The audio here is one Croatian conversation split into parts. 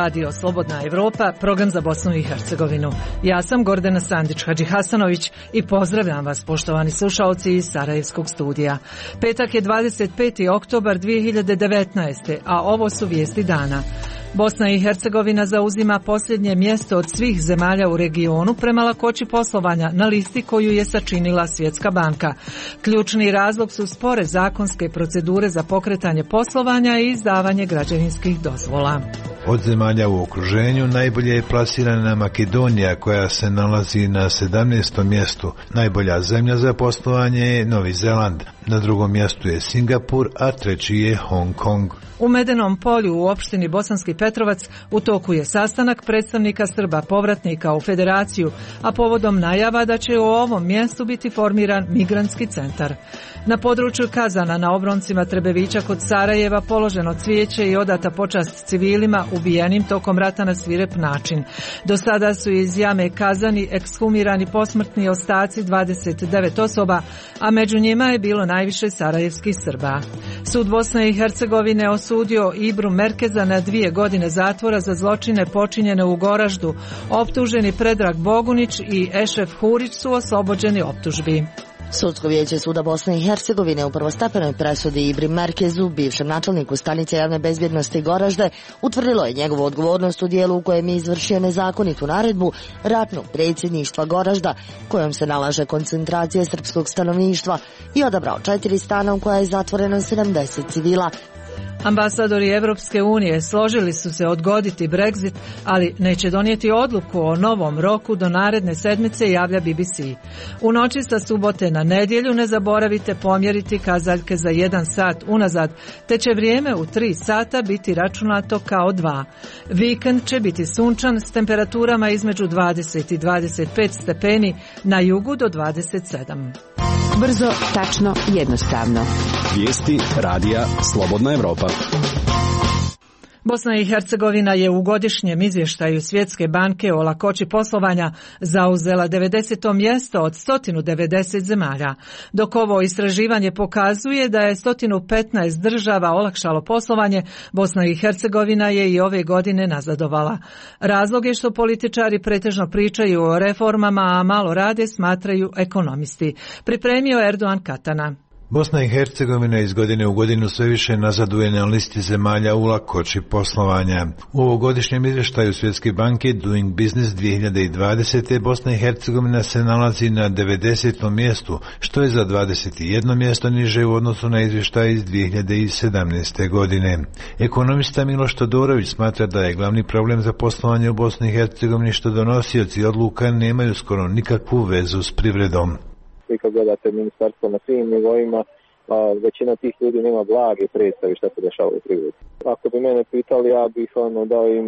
Radio Slobodna Evropa, program za Bosnu i Hercegovinu. Ja sam Gordana Sandić-Hadžihasanović i pozdravljam vas, poštovani slušaoci iz Sarajevskog studija. Petak je 25. oktobar 2019. a ovo su vijesti dana. Bosna i Hercegovina zauzima posljednje mjesto od svih zemalja u regionu prema lakoći poslovanja na listi koju je sačinila Svjetska banka. Ključni razlog su spore zakonske procedure za pokretanje poslovanja i izdavanje građevinskih dozvola. Od zemalja u okruženju najbolje je plasirana Makedonija koja se nalazi na 17. mjestu. Najbolja zemlja za poslovanje je Novi Zeland. Na drugom mjestu je Singapur, a treći je Hong Kong. U Medenom polju u opštini Bosanski Petrovac u toku je sastanak predstavnika Srba povratnika u Federaciju, a povodom najava da će u ovom mjestu biti formiran migrantski centar. Na području Kazana na obroncima Trebevića kod Sarajeva položeno cvijeće i odata počast civilima ubijenim tokom rata na svirep način. Do sada su iz jame Kazani ekshumirani posmrtni ostaci 29 osoba, a među njima je bilo najviše sarajevskih Srba. Sud Bosne i Hercegovine osudio Ibru Merkeza na 2 godine zatvora za zločine počinjene u Goraždu. Optuženi Predrag Bogunić i Ešef Hurić su oslobođeni optužbi. Sudsko vijeće Suda Bosne i Hercegovine u prvostepenoj presudi Ibri Merkezu, bivšem načelniku stanice javne bezbjednosti Goražde, utvrdilo je njegovu odgovornost u dijelu u kojem je izvršio nezakonitu naredbu ratnog predsjedništva Goražda, kojom se nalaže koncentracija srpskog stanovništva, i odabrao 4 stana u koja je zatvoreno 70 civila. Ambasadori Evropske unije složili su se odgoditi Brexit, ali neće donijeti odluku o novom roku do naredne sedmice, javlja BBC. U noći sa subote na nedjelju ne zaboravite pomjeriti kazaljke za 1 sat unazad, te će vrijeme u 3 sata biti računato kao 2. Vikend će biti sunčan s temperaturama između 20 i 25 stepeni, na jugu do 27. Brzo, tačno, jednostavno. Vijesti radija Slobodna Evropa. Bosna i Hercegovina je u godišnjem izvještaju Svjetske banke o lakoći poslovanja zauzela 90. mjesto od 190 zemalja, dok ovo istraživanje pokazuje da je 115 država olakšalo poslovanje, Bosna i Hercegovina je i ove godine nazadovala. Razlog je što političari pretežno pričaju o reformama, a malo rade, smatraju ekonomisti. Pripremio Erdogan Katana. Bosna i Hercegovina iz godine u godinu sve više nazaduje na listi zemalja u lakoći poslovanja. U ovogodišnjem izvještaju Svjetske banke Doing Business 2020. Bosna i Hercegovina se nalazi na 90. mjestu, što je za 21 mjesto niže u odnosu na izvještaj iz 2017. godine. Ekonomista Miloš Todorović smatra da je glavni problem za poslovanje u Bosni i Hercegovini što donosioci odluka nemaju skoro nikakvu vezu s privredom. I kad gledate ministarstvo na svim nivoima, većina tih ljudi nema blage predstavi šta se dešava u privredi. Ako bi mene pitali, ja bih dao im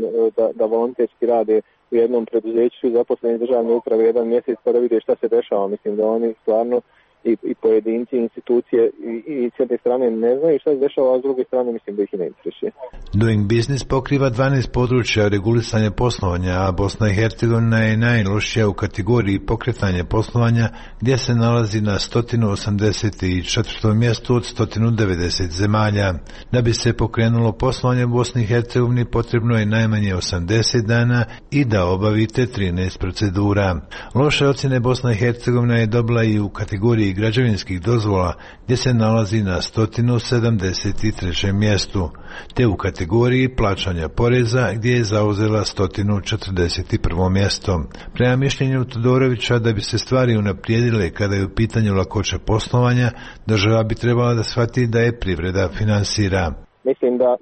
da volonterski rade u jednom preduzeću, zaposleni državne uprave 1 mjesec pa da vide šta se dešava. Mislim da oni stvarno i pojedinci, institucije i s jedne strane ne znaju šta se dešava, a s druge strane mislim da ih i ne interesuje. Doing Business pokriva 12 područja regulisanja poslovanja, a Bosna i Hercegovina je najlošija u kategoriji pokretanja poslovanja, gdje se nalazi na 184. mjestu od 190 zemalja. Da bi se pokrenulo poslovanje u Bosni i Hercegovini potrebno je najmanje 80 dana i da obavite 13 procedura. Loše ocjene Bosna i Hercegovina je dobila i u kategoriji građevinskih dozvola, gdje se nalazi na 173. mjestu, te u kategoriji plaćanja poreza, gdje je zauzela 141. mjesto. Prema mišljenju Todorovića, da bi se stvari unaprijedile kada je u pitanju lakoća poslovanja, država bi trebala da shvati da je privreda finansira. Mislim da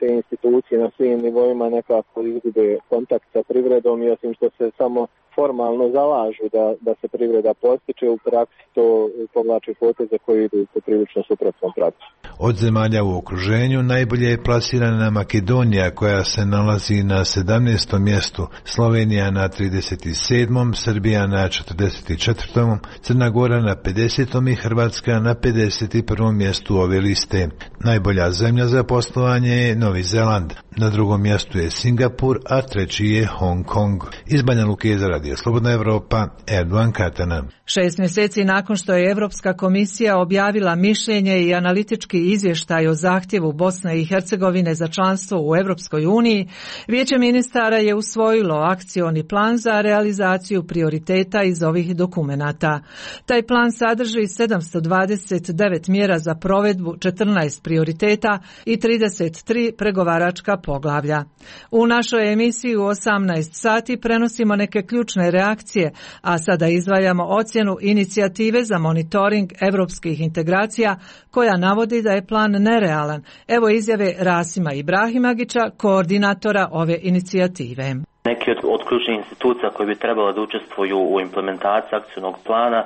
te institucije na svim nivoima nekako izgube kontakt sa privredom i osim što se samo formalno zalažu da se privreda postiče, u praksi to povlači poteze koji idu poprilično suprotnom praksi. Od zemalja u okruženju najbolje je plasirana Makedonija koja se nalazi na 17. mjestu, Slovenija na 37., Srbija na 44., Crna Gora na 50. i Hrvatska na 51. mjestu ove liste. Najbolja zemlja za poslovanje je Novi Zeland. Na drugom mjestu je Singapur, a treći je Hong Kong. Iz Banja Luke za Radio Radio Slobodna Evropa, Erdogan Katana. 6 mjeseci nakon što je Europska komisija objavila mišljenje i analitički izvještaj o zahtjevu Bosne i Hercegovine za članstvo u Europskoj uniji, Vijeće ministara je usvojilo akcioni plan za realizaciju prioriteta iz ovih dokumenata. Taj plan sadrži 729 mjera za provedbu 14 prioriteta i 33 pregovaračka poglavlja. U našoj emisiji u 18 sati prenosimo neke ključne reakcije, a sada izdvajamo ocjenu inicijative za monitoring europskih integracija koja navodi da je plan nerealan. Evo izjave Rasima Ibrahimagića, koordinatora ove inicijative. Neki od ključnih institucija koje bi trebalo da učestvuju u implementaciji akcijnog plana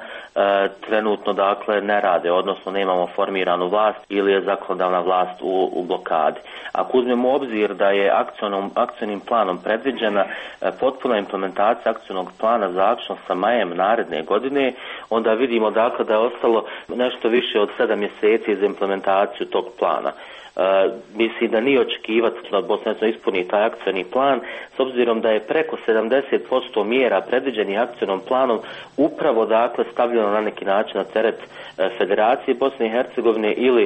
trenutno dakle ne rade, odnosno nemamo formiranu vlast ili je zakonodavna vlast u blokadi. Ako uzmemo u obzir da je akcijnim planom predviđena potpuna implementacija akcijnog plana zaključno sa majem naredne godine, onda vidimo dakle da je ostalo nešto više od 7 mjeseci za implementaciju tog plana. Mislim da nije očekivati da Bosna ispuni taj akcijni plan, s obzirom da je preko 70% mjera predviđenih akcijnom planom upravo dakle stavljeno na neki način na teret Federacije Bosne i Hercegovine ili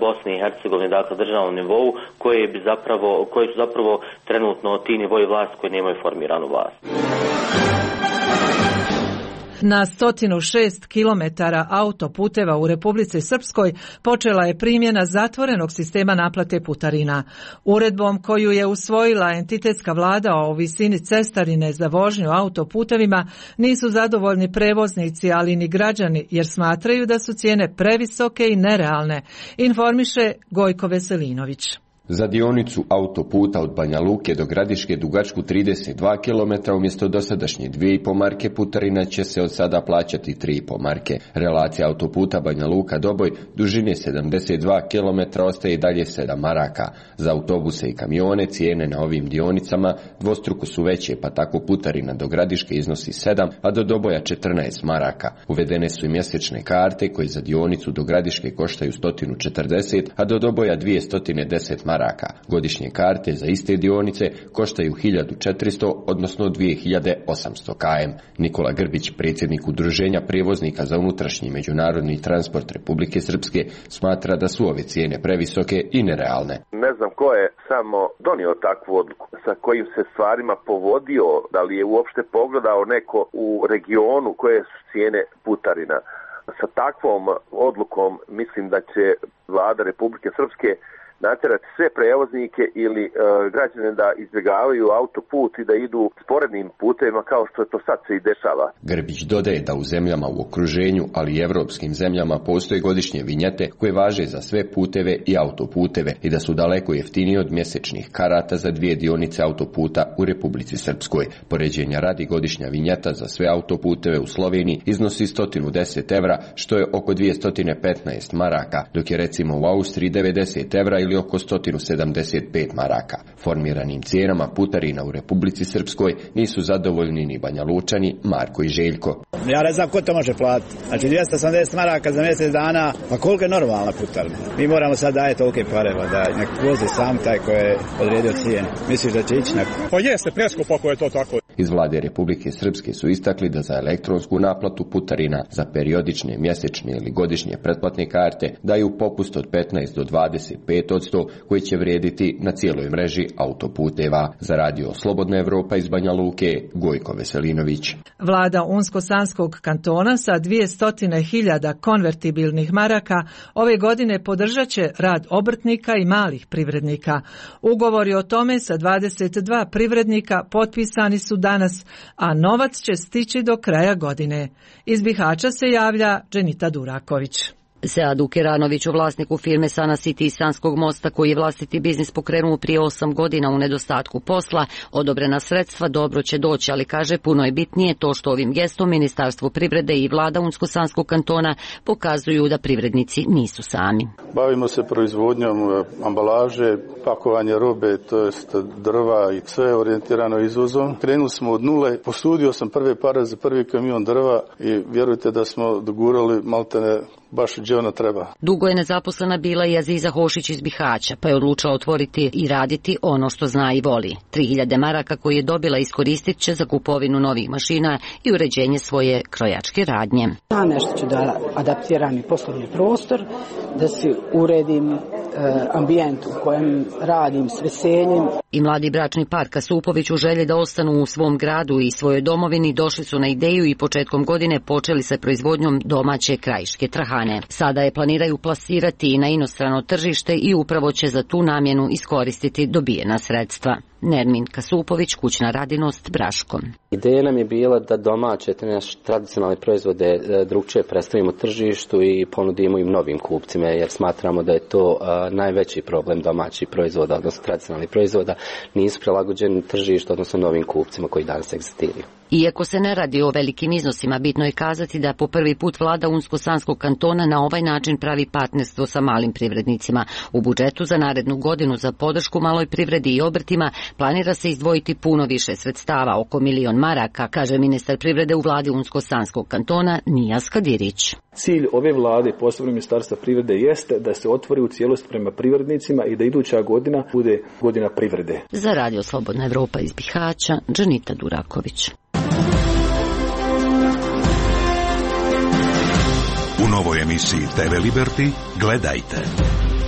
Bosne i Hercegovine, dakle državnom nivou, koji su zapravo trenutno ti nivoji vlasti koji nemaju formiranu vlast. Na 106 kilometara autoputeva u Republici Srpskoj počela je primjena zatvorenog sistema naplate putarina. Uredbom koju je usvojila entitetska vlada o visini cestarine za vožnju autoputevima nisu zadovoljni prevoznici, ali ni građani, jer smatraju da su cijene previsoke i nerealne, informiše Gojko Veselinović. Za dionicu autoputa od Banja Luke do Gradiške dugačku 32 km umjesto dosadašnje 2,5 marke putarina će se od sada plaćati 3,5 marke. Relacija autoputa Banja Luka Doboj dužine 72 km ostaje i dalje 7 maraka. Za autobuse i kamione cijene na ovim dionicama dvostruko su veće, pa tako putarina do Gradiške iznosi 7, a do Doboja 14 maraka. Uvedene su i mjesečne karte koje za dionicu do Gradiške koštaju 140, a do Doboja 210 maraka. Godišnje karte za iste dionice koštaju 1400, odnosno 2800 km. Nikola Grbić, predsjednik Udruženja prijevoznika za unutrašnji i međunarodni transport Republike Srpske, smatra da su ove cijene previsoke i nerealne. Ne znam ko je samo donio takvu odluku, sa kojim se stvarima povodio, da li je uopšte pogledao neko u regionu koje su cijene putarina. Sa takvom odlukom mislim da će vlada Republike Srpske natjerati sve prevoznike ili građane da izbjegavaju autoput i da idu sporednim putevima kao što to sad se i dešava. Grbić dodaje da u zemljama u okruženju, ali i evropskim zemljama postoje godišnje vinjete koje važe za sve puteve i autoputeve i da su daleko jeftiniji od mjesečnih karata za 2 dionice autoputa u Republici Srpskoj. Poređenja radi, godišnja vinjeta za sve autoputeve u Sloveniji iznosi 110 evra, što je oko 215 maraka, dok je recimo u Austriji 90 evra ili oko 175 maraka. Formiranim cijenama putarina u Republici Srpskoj nisu zadovoljni ni Banja Lučani, Marko i Željko. Ja ne znam ko to može platiti. Znači 280 maraka za mjesec dana, pa koliko je normalna putarina? Mi moramo sad dajeti tolike pare, da nek vozi sam taj koji je odredio cijene. Misliš da će ići neko? Pa jeste preskupo ako je to tako. Iz vlade Republike Srpske su istakli da za elektronsku naplatu putarina za periodične, mjesečne ili godišnje pretplatne karte daju popust od 15 do 25% koji će vrijediti na cijeloj mreži autoputeva. Za radio Slobodna Evropa iz Banja Luke, Gojko Veselinović. Vlada Unsko-Sanskog kantona sa 200.000 konvertibilnih maraka ove godine podržat će rad obrtnika i malih privrednika. Ugovori o tome sa 22 privrednika potpisani su danas, a novac će stići do kraja godine. Iz Bihaća se javlja Dženita Duraković. Seadu Keranoviću, vlasniku firme Sana City iz Sanskog mosta, koji je vlastiti biznis pokrenuo prije 8 godina u nedostatku posla, odobrena sredstva dobro će doći, ali kaže puno je bitnije to što ovim gestom Ministarstvo privrede i vlada Unsko-Sanskog kantona pokazuju da privrednici nisu sami. Bavimo se proizvodnjom ambalaže, pakovanje robe, to jest drva i sve je orijentirano izvozom. Krenuli smo od nule, posudio sam prve pare za prvi kamion drva i vjerujte da smo dogurali maltene baš gdje ona treba. Dugo je nezaposlena bila i Aziza Hošić iz Bihaća, pa je odlučila otvoriti i raditi ono što zna i voli. 3000 maraka koje je dobila iskoristit će za kupovinu novih mašina i uređenje svoje krojačke radnje. Ja nešto ću da adaptiram i poslovni prostor, da si uredim ambijent u kojem radim s veseljem. I mladi bračni par Kasupović u želji da ostanu u svom gradu i svojoj domovini došli su na ideju i početkom godine počeli sa proizvodnjom domaće krajiške trahane. Sada je planiraju plasirati na inostrano tržište i upravo će za tu namjenu iskoristiti dobijena sredstva. Nermin Kasupović, kućna radinost, Braško. Ideja nam je bila da domaće, te naše tradicionalne proizvode drugčije predstavimo tržištu i ponudimo im novim kupcima, jer smatramo da je to najveći problem domaćih proizvoda, odnosno tradicionalnih proizvoda, nisu prilagođeni tržištu, odnosno novim kupcima koji danas egzistiraju. Iako se ne radi o velikim iznosima, bitno je kazati da po prvi put vlada Unsko-Sanskog kantona na ovaj način pravi partnerstvo sa malim privrednicima. U budžetu za narednu godinu za podršku maloj privredi i obrtima planira se izdvojiti puno više sredstava, oko 1.000.000 maraka, kaže ministar privrede u vladi Unsko-Sanskog kantona Nijas Kadirić. Cilj ove vlade, posebno ministarstva privrede, jeste da se otvori u cijelosti prema privrednicima i da iduća godina bude godina privrede. Za Radio Slobodna Evropa iz Bihaća, Džanita Duraković. U novoj emisiji TV Liberty gledajte.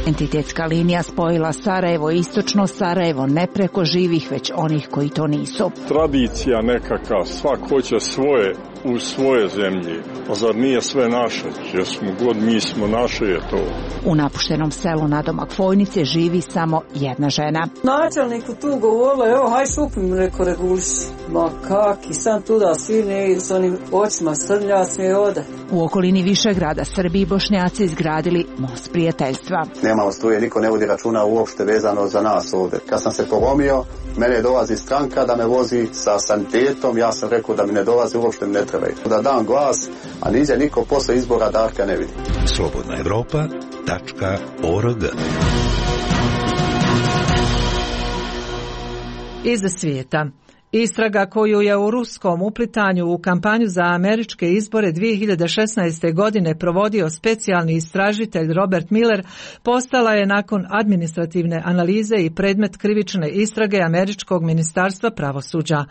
Entitetska linija spojila Sarajevo i istočno Sarajevo ne preko živih, već onih koji to nisu. Tradicija nekakav, svak hoće svoje u svoje zemlji, a zar nije sve naše? Jer smo god mi smo naše je to. U napuštenom selu nadomak Fojnice živi samo jedna žena. Načelniku tu govorila, evo haj šupim, reko reguliši. Ma kaki, sam tuda sine i s onim očima srljasne i ode. U okolini Višegrada Srbi i Bošnjaci izgradili most prijateljstva. Nemamo struje, niko ne vodi računa uopšte vezano za nas ovdje. Kad sam se polomio, mene dolazi stranka da me vozi sa sanitetom, ja sam rekao da mi ne dolazi, uopšte mi ne trebaju. Da dam glas, a niđe niko posle izbora Darka ne vidi. Slobodnaevropa.org. Iz svijeta. Istraga koju je u ruskom uplitanju u kampanju za američke izbore 2016. godine provodio specijalni istražitelj Robert Mueller postala je nakon administrativne analize i predmet krivične istrage američkog ministarstva pravosuđa.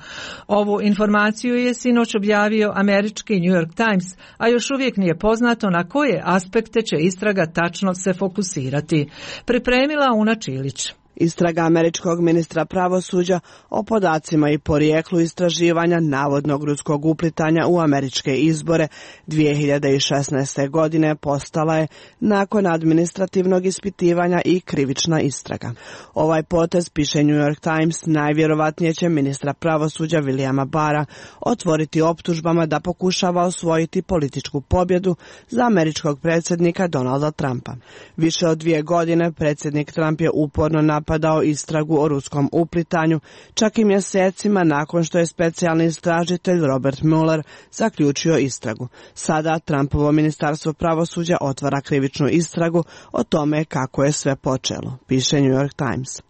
Ovu informaciju je sinoć objavio američki New York Times, a još uvijek nije poznato na koje aspekte će istraga tačno se fokusirati. Pripremila Una Čilić. Istraga američkog ministra pravosuđa o podacima i porijeklu istraživanja navodnog ruskog uplitanja u američke izbore 2016. godine postala je nakon administrativnog ispitivanja i krivična istraga. Ovaj potez, piše New York Times, najvjerovatnije će ministra pravosuđa Williama Barra otvoriti optužbama da pokušava osvojiti političku pobjedu za američkog predsjednika Donalda Trumpa. Više od 2 godine predsjednik Trump je uporno napadao istragu o ruskom uplitanju, čak i mjesecima nakon što je specijalni istražitelj Robert Mueller zaključio istragu. Sada Trumpovo ministarstvo pravosuđa otvara krivičnu istragu o tome kako je sve počelo, piše New York Times.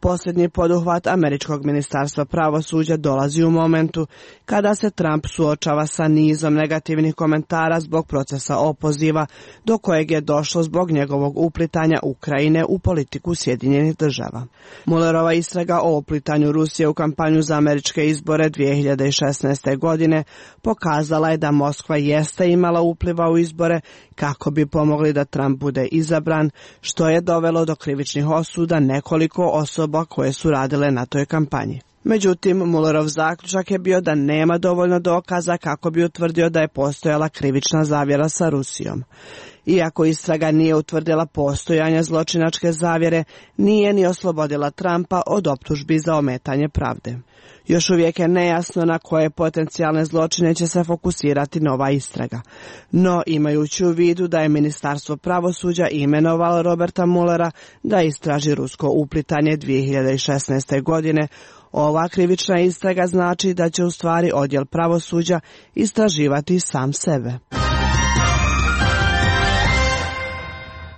Posljednji poduhvat američkog ministarstva pravosuđa dolazi u momentu kada se Trump suočava sa nizom negativnih komentara zbog procesa opoziva do kojeg je došlo zbog njegovog uplitanja Ukrajine u politiku Sjedinjenih država. Muellerova istraga o uplitanju Rusije u kampanju za američke izbore 2016. godine pokazala je da Moskva jeste imala upliva u izbore kako bi pomogli da Trump bude izabran, što je dovelo do krivičnih osuda nekoliko osoba koje su radile na toj kampanji. Međutim, Muellerov zaključak je bio da nema dovoljno dokaza kako bi utvrdio da je postojala krivična zavjera sa Rusijom. Iako istraga nije utvrdila postojanje zločinačke zavjere, nije ni oslobodila Trumpa od optužbi za ometanje pravde. Još uvijek je nejasno na koje potencijalne zločine će se fokusirati nova istraga. No, imajući u vidu da je Ministarstvo pravosuđa imenovalo Roberta Muellera da istraži rusko uplitanje 2016. godine, ova krivična istraga znači da će u stvari odjel pravosuđa istraživati sam sebe.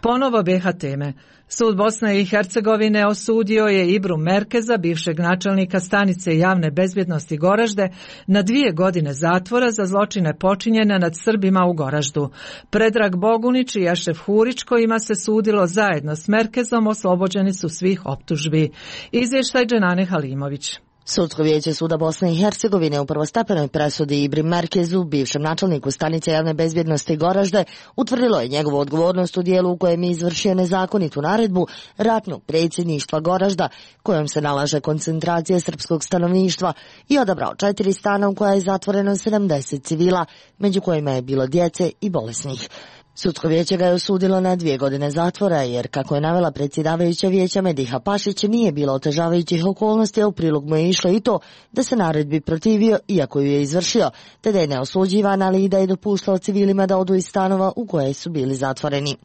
Ponovo BiH teme. Sud Bosne i Hercegovine osudio je Ibru Merkeza, bivšeg načelnika stanice javne bezbjednosti Goražde, na 2 godine zatvora za zločine počinjene nad Srbima u Goraždu. Predrag Bogunić i Ešef Hurić, kojima se sudilo zajedno s Merkezom, oslobođeni su svih optužbi. Izvještaj Dženane Halimović. Sudsko vijeće Suda Bosne i Hercegovine u prvostepenoj presudi Ibri Merkezu, bivšem načelniku stanice javne bezbjednosti Goražde, utvrdilo je njegovu odgovornost u dijelu u kojem je izvršio nezakonitu naredbu ratnog predsjedništva Goražda, kojom se nalaže koncentracija srpskog stanovništva, i odabrao 4 stana u koja je zatvoreno 70 civila, među kojima je bilo djece i bolesnih. Sudsko vijeće ga je osudilo na 2 godine zatvora, jer, kako je navela predsjedavajuća vijeća Mediha Pašić, nije bilo otežavajućih okolnosti, a u prilog mu je išlo i to da se naredbi protivio, iako ju je izvršio, te da je neosuđivan, ali i da je dopuštao civilima da odu iz stanova u koje su bili zatvoreni.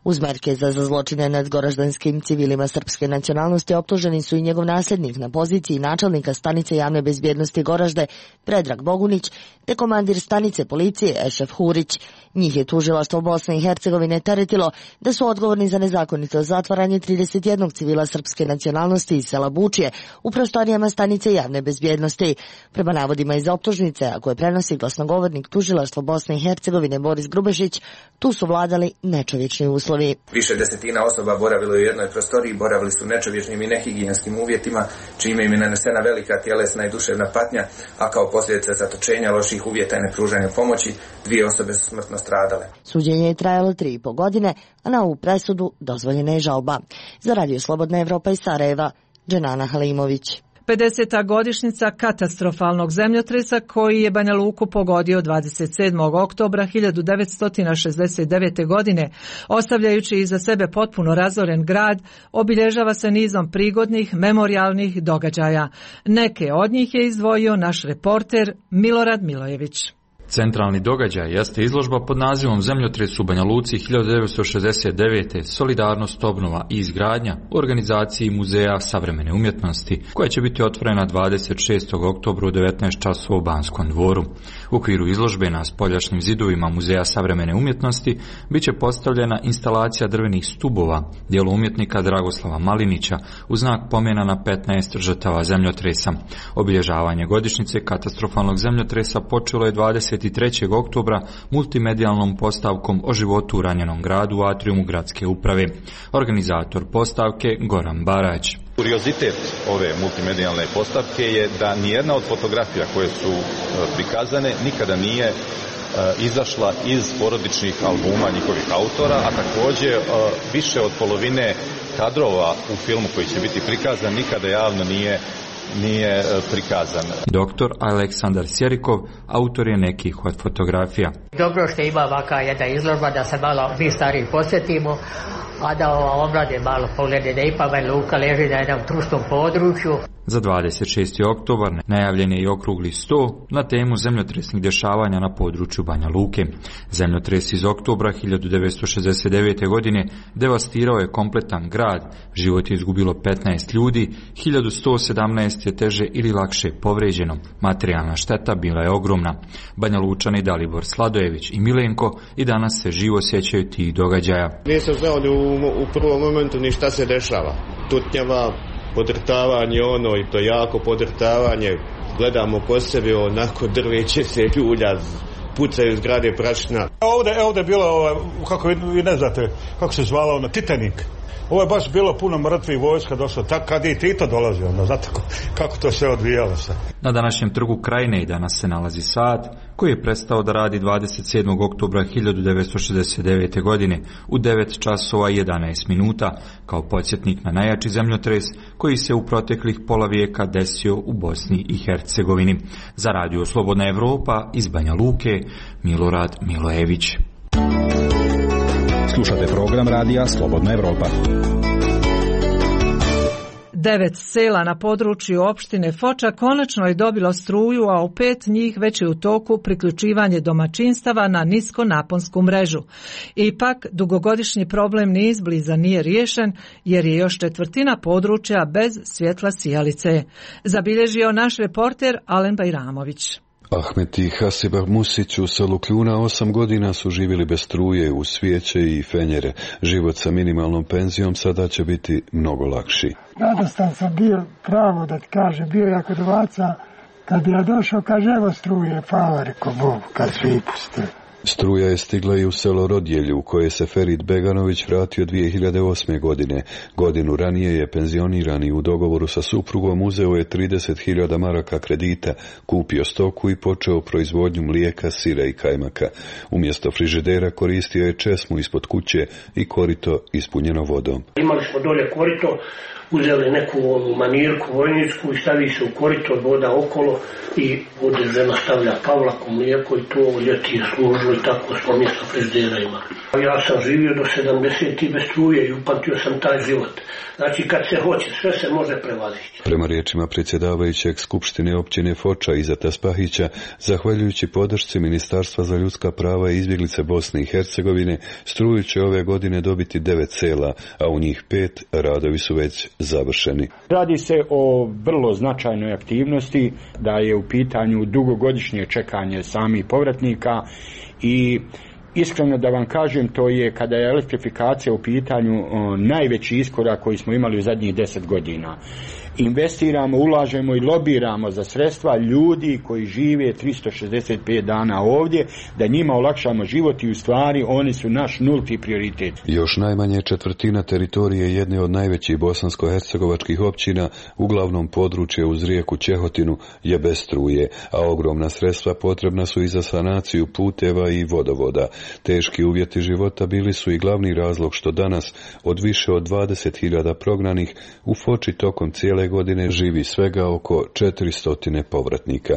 Uz Merkeza za zločine nad goraždanskim civilima srpske nacionalnosti optuženi su i njegov nasljednik na poziciji načelnika stanice javne bezbjednosti Goražde, Predrag Bogunić, te komandir stanice policije Ešef Hurić. Njih je tužilaštvo Bosne i Hercegovine teretilo da su odgovorni za nezakonito zatvaranje 31 civila srpske nacionalnosti iz sela Bučije u prostorijama stanice javne bezbjednosti. Prema navodima iz optužnice, a koje prenosi glasnogovornik tužilaštva Bosne i Hercegovine Boris Grubešić, tu su vladali nečovječni uslovi. Više desetina osoba boravilo u jednoj prostoriji, boravili su nečovječnim i nehigijenskim uvjetima, čime im je nanesena velika tjelesna i duševna patnja, a kao posljedica zatočenja, loših uvjeta i nepružanja pomoći, 2 osobe su smrtno stradale. Suđenje je trajalo 3,5 godine, a na ovu presudu dozvoljena je žalba. Za Radio Slobodna Evropa iz Sarajeva, Dženana Halimović. 50. godišnjica katastrofalnog zemljotresa koji je Banja Luku pogodio 27. oktobra 1969. godine, ostavljajući iza sebe potpuno razoren grad, obilježava se nizom prigodnih memorijalnih događaja. Neke od njih je izdvojio naš reporter Milorad Milojević. Centralni događaj jeste izložba pod nazivom Zemljotres u Banja Luci 1969. Solidarnost, obnova i izgradnja u organizaciji Muzeja savremene umjetnosti, koja će biti otvorena 26. oktobra u 19 časova u Banskom dvoru. U okviru izložbe na spoljašnjim zidovima Muzeja savremene umjetnosti bit će postavljena instalacija drvenih stubova, djelo umjetnika Dragoslava Malinića, u znak pomena na 15 žrtava zemljotresa. Obilježavanje godišnjice katastrofalnog zemljotresa počelo je 23. oktobra multimedijalnom postavkom o životu u ranjenom gradu u atriumu gradske uprave. Organizator postavke Goran Barać. Kuriozitet ove multimedijalne postavke je da nijedna od fotografija koje su prikazane nikada nije izašla iz porodičnih albuma njihovih autora, a također više od polovine kadrova u filmu koji će biti prikazan nikada javno nije prikazan. Doktor Aleksandar Sjerikov autor je nekih od fotografija. Dobro što ima ovakva jedna izložba da se malo mi stariji posjetimo, a da omlade malo poglede da ipak Banja Luka leži na jednom trusnom području. Za 26. oktobar najavljen je i okrugli sto na temu zemljotresnih dešavanja na području Banja Luke. Zemljotres iz oktobra 1969. godine devastirao je kompletan grad, život je izgubilo 15 ljudi, 1117 je teže ili lakše povređeno, materijalna šteta bila je ogromna. Banja Lučani Dalibor Sladojević i Milenko i danas se živo sjećaju tih događaja. Nisam znao u prvom momentu ni šta se dešava. Tutnjava, podrtavanje i to jako podrtavanje. Gledamo ko sebe, onako drveće se ljulja, pucaju zgrade prašna. Ovdje je bilo, kako vi ne znate, kako se zvalo Titanik. Ovo je baš bilo puno mrtvih vojska došlo, tako kad je i Tito dolazio, onda znate kako to sve odvijalo se. Na današnjem trgu Krajine i danas se nalazi sat koji je prestao da radi 27. oktobra 1969. godine u 9 časova i 11 minuta kao podsjetnik na najjači zemljotres koji se u proteklih pola vijeka desio u Bosni i Hercegovini. Za Radio Slobodna Evropa iz Banja Luke, Milorad Milojević. Slušate program radija Slobodna Evropa. 9 sela na području opštine Foča konačno je dobilo struju, a u 5 njih već je u toku priključivanje domaćinstava na niskonaponsku mrežu. Ipak, dugogodišnji problem ni izbliza nije riješen, jer je još 1/4 područja bez svjetla sijalice. Zabilježio naš reporter Alen Bajramović. Ahmet i Hasiba Musić u selu Kljuna 8 godina su živjeli bez struje, uz svijeće i fenjere. Život sa minimalnom penzijom sada će biti mnogo lakši. Radostan sam bio, pravo da ti kažem, bio jako dovaca. Kad bi ja došao, kaže, evo struje, hvala, reko Bogu, kad svi puste. Struja je stigla i u selo Rodjelju, u koje se Ferit Beganović vratio 2008. godine. Godinu ranije je penzioniran i u dogovoru sa suprugom uzeo je 30.000 maraka kredita, kupio stoku i počeo proizvodnju mlijeka, sira i kajmaka. Umjesto frižidera koristio je česmu ispod kuće i korito ispunjeno vodom. Imali smo dolje korito, uzeli neku manirku vojničku i stavi se u korito, voda okolo i ovdje žena stavlja pavlaku, mlijeko i to ljeti je služilo i tako smo mjesto frižidera imali. Ja sam živio do 70 i bez struje i upamtio sam taj život. Znači kad se hoće, sve se može prevaziti. Prema riječima predsjedavajućeg Skupštine općine Foča Izeta Spahića, zahvaljujući podršci Ministarstva za ljudska prava i izbjeglice Bosne i Hercegovine, struju će ove godine dobiti 9 sela, a u njih 5 radovi su već završeni. Radi se o vrlo značajnoj aktivnosti, da je u pitanju dugogodišnje čekanje samih povratnika i iskreno da vam kažem, to je kada je elektrifikacija u pitanju najveći iskorak koji smo imali u zadnjih 10 godina. Investiramo, ulažemo i lobiramo za sredstva ljudi koji žive 365 dana ovdje, da njima olakšamo život i u stvari oni su naš nulti prioritet. Još najmanje četvrtina teritorije jedne od najvećih bosansko-hercegovačkih općina, uglavnom područje uz rijeku Ćehotinu, je bez struje, a ogromna sredstva potrebna su i za sanaciju puteva i vodovoda. Teški uvjeti života bili su i glavni razlog što danas od više od 20.000 prognanih u Foči tokom cijele godine živi svega oko 400 povratnika.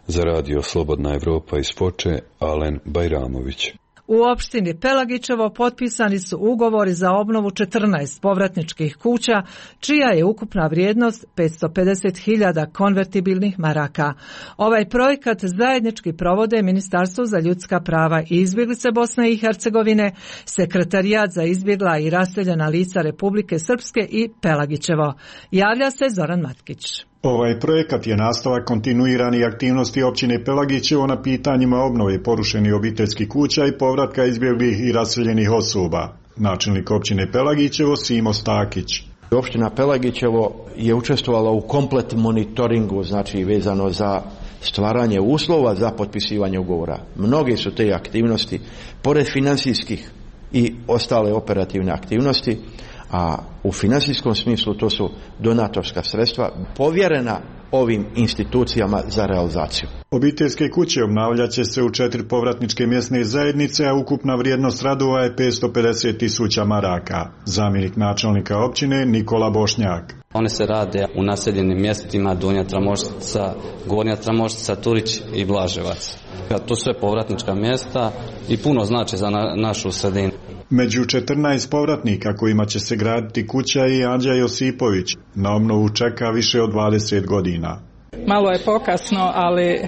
Za radio Slobodna Evropa iz Foče, Alen Bajramović. U opštini Pelagićevo potpisani su ugovori za obnovu 14 povratničkih kuća, čija je ukupna vrijednost 550.000 konvertibilnih maraka. Ovaj projekat zajednički provode Ministarstvo za ljudska prava i izbjeglice Bosne i Hercegovine, Sekretarijat za izbjegla i raseljena lica Republike Srpske i Pelagićevo. Javlja se Zoran Matkić. Ovaj projekat je nastavak kontinuirani aktivnosti općine Pelagićevo na pitanjima obnove porušenih obiteljskih kuća i povratka izbjeglih i raseljenih osoba. Načelnik općine Pelagićevo Simo Stakić. Opština Pelagićevo je učestvovala u komplet monitoringu, znači vezano za stvaranje uslova za potpisivanje ugovora. Mnoge su te aktivnosti, pored financijskih i ostale operativne aktivnosti, a u financijskom smislu to su donatorska sredstva povjerena ovim institucijama za realizaciju. Obiteljske kuće obnavljat će se u 4 povratničke mjesne zajednice, a ukupna vrijednost radova je 550.000 maraka. Zamjenik načelnika općine Nikola Bošnjak. One se rade u naseljenim mjestima Donja Tramoštica, Gornja Tramoštica, Turić i Blaževac. To su sve povratnička mjesta i puno znači za našu sredinu. Među 14 povratnika kojima će se graditi kuća je Anđa Josipović. Na obnovu čeka više od 20 godina. Malo je pokasno, ali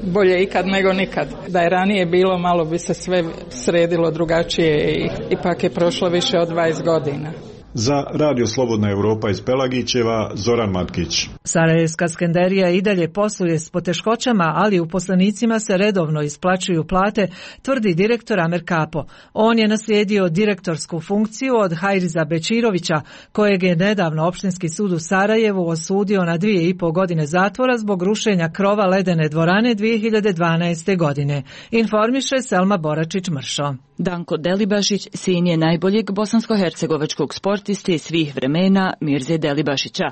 bolje ikad nego nikad. Da je ranije bilo, malo bi se sve sredilo drugačije i ipak je prošlo više od 20 godina. Za radio Slobodna Evropa iz Pelagićeva, Zoran Matkić. Sarajevska skenderija i dalje posluje s poteškoćama, ali uposlenicima se redovno isplaćuju plate, tvrdi direktor Amer Kapo. On je naslijedio direktorsku funkciju od Hajriza Bečirovića, kojeg je nedavno Opštinski sud u Sarajevu osudio na 2,5 godine zatvora zbog rušenja krova ledene dvorane 2012. godine. Informiše Selma Boračić-Mršo. Danko Delibašić sin je najboljeg bosansko-hercegovačkog sportiste svih vremena Mirze Delibašića.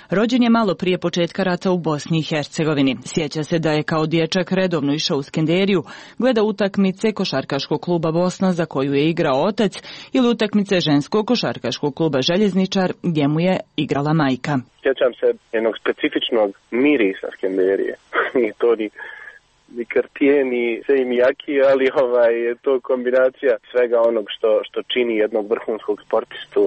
Rođen je malo prije početka rata u Bosni i Hercegovini. Sjeća se da je kao dječak redovno išao u Skenderiju, gleda utakmice košarkaškog kluba Bosna za koju je igrao otac ili utakmice ženskog košarkaškog kluba Željezničar gdje mu je igrala majka. Sjećam se jednog specifičnog mirisa Skenderije. I to ni Cartier, ni Seimiyaki, ali to kombinacija svega onog što čini jednog vrhunskog sportistu.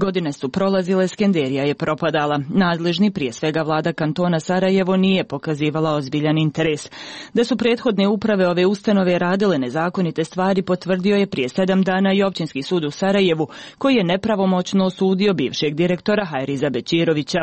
Godine su prolazile, Skenderija je propadala. Nadležni, prije svega vlada kantona Sarajevo, nije pokazivala ozbiljan interes. Da su prethodne uprave ove ustanove radile nezakonite stvari potvrdio je prije 7 dana i Općinski sud u Sarajevu, koji je nepravomoćno osudio bivšeg direktora Hajriza Bećirovića.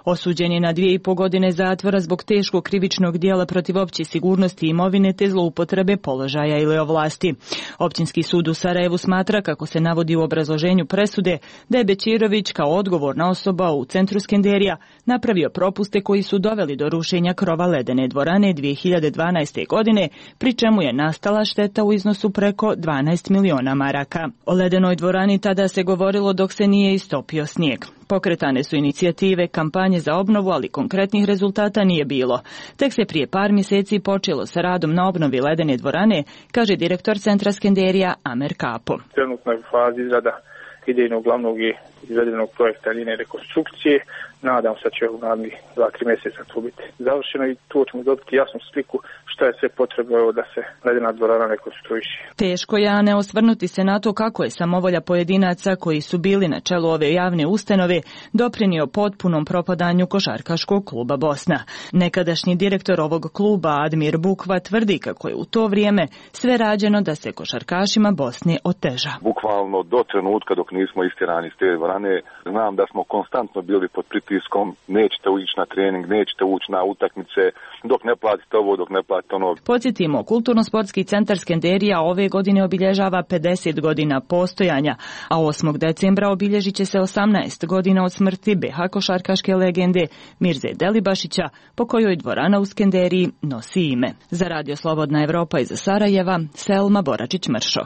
Osuđen je na 2,5 godine zatvora zbog teškog krivičnog dijela protiv opće sigurnosti imovine te zloupotrebe položaja ili ovlasti. Općinski sud u Sarajevu smatra, kako se navodi u obrazloženju presude, da je Bećirović kao odgovorna osoba u centru Skenderija napravio propuste koji su doveli do rušenja krova ledene dvorane 2012. godine, pri čemu je nastala šteta u iznosu preko 12 miliona maraka. O ledenoj dvorani tada se govorilo dok se nije istopio snijeg. Pokretane su inicijative, kampanje za obnovu, ali konkretnih rezultata nije bilo. Tek se prije par mjeseci počelo sa radom na obnovi ledene dvorane, kaže direktor centra Skenderija Amer Kapo. Trenutno je u fazi izrada idejnog glavnog i izvedenog projekta linije rekonstrukcije. Nadam se da će u narednih 2-3 mjeseca to biti završeno i tu ćemo dobiti jasnu sliku šta je sve potrebno da se ledena dvorana rekonstruiše. Teško je ne osvrnuti se na to kako je samovolja pojedinaca koji su bili na čelu ove javne ustanove doprinio potpunom propadanju košarkaškog kluba Bosna. Nekadašnji direktor ovog kluba Admir Bukva tvrdi kako je u to vrijeme sve rađeno da se košarkašima Bosne oteža. Bukvalno do trenutka dok nismo istjerani iz te dvorane, znam da smo konstantno bili pod pritiskom, nećete ući na trening, nećete ući na utakmice, dok ne platite ovo, dok ne platite ono. Podsjetimo, Kulturno-sportski centar Skenderija ove godine obilježava 50 godina postojanja, a 8. decembra obilježit će se 18 godina od smrti BH košarkaške legende Mirze Delibašića, po kojoj dvorana u Skenderiji nosi ime. Za Radio Slobodna Evropa iz Sarajeva, Selma Boračić-Mršo.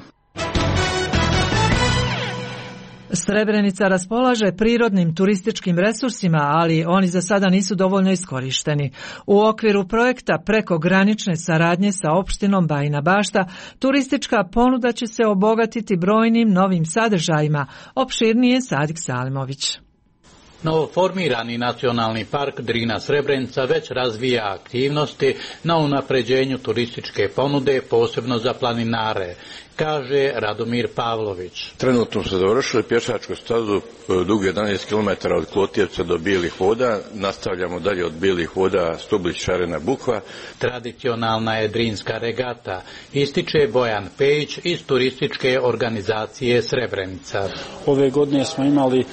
Srebrenica raspolaže prirodnim turističkim resursima, ali oni za sada nisu dovoljno iskorišteni. U okviru projekta prekogranične saradnje sa opštinom Bajina Bašta, turistička ponuda će se obogatiti brojnim novim sadržajima, opširnije Sadik Salimović. Novoformirani nacionalni park Drina Srebrenica već razvija aktivnosti na unapređenju turističke ponude, posebno za planinare, kaže Radomir Pavlović. Trenutno smo završili pješačku stazu dugu 11 km od Klotjevca do Bijelih voda, nastavljamo dalje od Bijelih voda Stublić, Šarena, Bukva. Tradicionalna je drinska regata, ističe Bojan Pejić iz turističke organizacije Srebrenica. Ove godine smo imali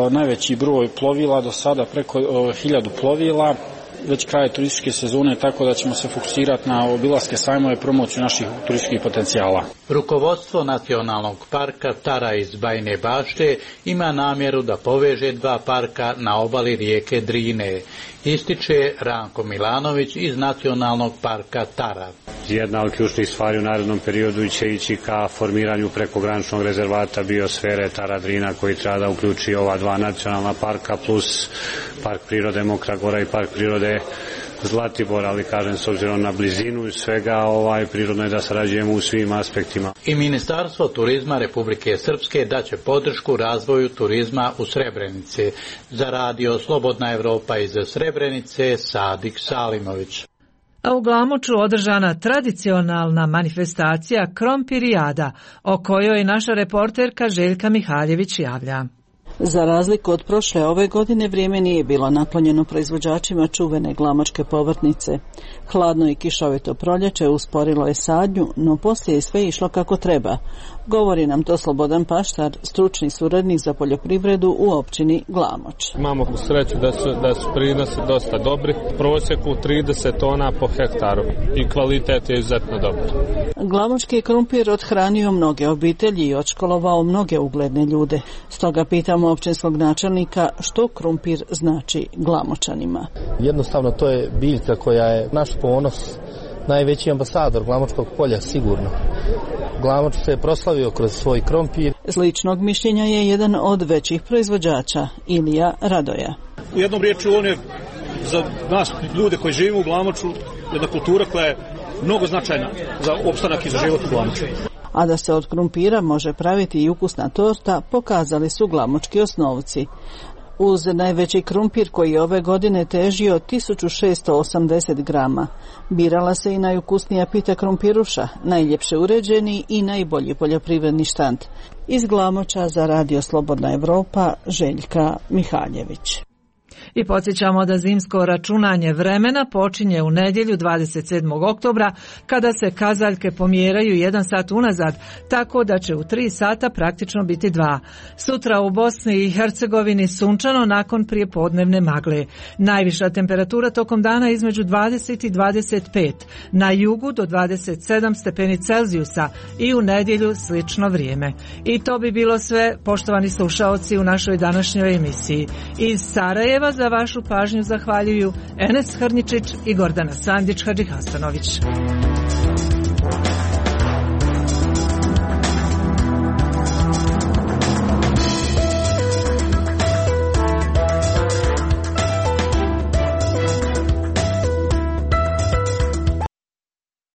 najveći broj plovila, do sada preko 1000 plovila, već kraj turističke sezone, tako da ćemo se fokusirati na obilaske sajmove, promociju naših turističkih potencijala. Rukovodstvo Nacionalnog parka Tara iz Bajine Bašte ima namjeru da poveže dva parka na obali rijeke Drine, ističe Ranko Milanović iz Nacionalnog parka Tara. Jedna od ključnih stvari u narednom periodu će ići ka formiranju prekograničnog rezervata biosfere Tara Drina, koji treba da uključi ova dva nacionalna parka plus park prirode Mokra Gora i park prirode Zlatibor, ali kažem s obzirom na blizinu svega prirodno je da sarađujemo u svim aspektima. I Ministarstvo turizma Republike Srpske daće podršku razvoju turizma u Srebrenici. Za Radio Slobodna Evropa iz Srebrenice, Sadik Salimović. A u Glamoču održana tradicionalna manifestacija Krompirijada, o kojoj naša reporterka Željka Mihaljević javlja. Za razliku od prošle, ove godine vrijeme nije bilo naklonjeno proizvođačima čuvene glamočke povrtnice. Hladno i kišovito proljeće usporilo je sadnju, no poslije je sve išlo kako treba. Govori nam to Slobodan Paštar, stručni suradnik za poljoprivredu u općini Glamoč. Imamo sreću da su prinosi dosta dobri, prosjeku 30 tona po hektaru i kvalitet je izuzetno dobar. Glamočki krumpir odhranio mnoge obitelji i odškolovao mnoge ugledne ljude. Stoga pitamo općinskog načelnika što krumpir znači Glamočanima. Jednostavno to je biljka koja je naš ponos, najveći ambasador Glamočkog polja sigurno. Glamoč se je proslavio kroz svoj krompir. Sličnog mišljenja je jedan od većih proizvođača, Ilija Radoja. U jednom riječju on je za nas ljude koji živimo u Glamoču jedna kultura koja je mnogo značajna za opstanak i za život u Glamoču. A da se od krumpira može praviti i ukusna torta, pokazali su glamočki osnovci. uz najveći krumpir koji je ove godine težio 1680 grama. Birala se i najukusnija pita krumpiruša, najljepše uređeni i najbolji poljoprivredni štand. Iz Glamoča za Radio Slobodna Evropa, Željka Mihaljević. I podsjećamo da zimsko računanje vremena počinje u nedjelju 27. oktobra kada se kazaljke pomjeraju 1 sat unazad, tako da će u 3 sata praktično biti 2. Sutra u Bosni i Hercegovini sunčano nakon prijepodnevne magle. Najviša temperatura tokom dana između 20 i 25, na jugu do 27 stepeni Celzijusa i u nedjelju slično vrijeme. I to bi bilo sve, poštovani slušaoci, u našoj današnjoj emisiji. Iz Sarajeva za vašu pažnju zahvaljuju Enes Hrničić i Gordana Sandić Hadžihastanović.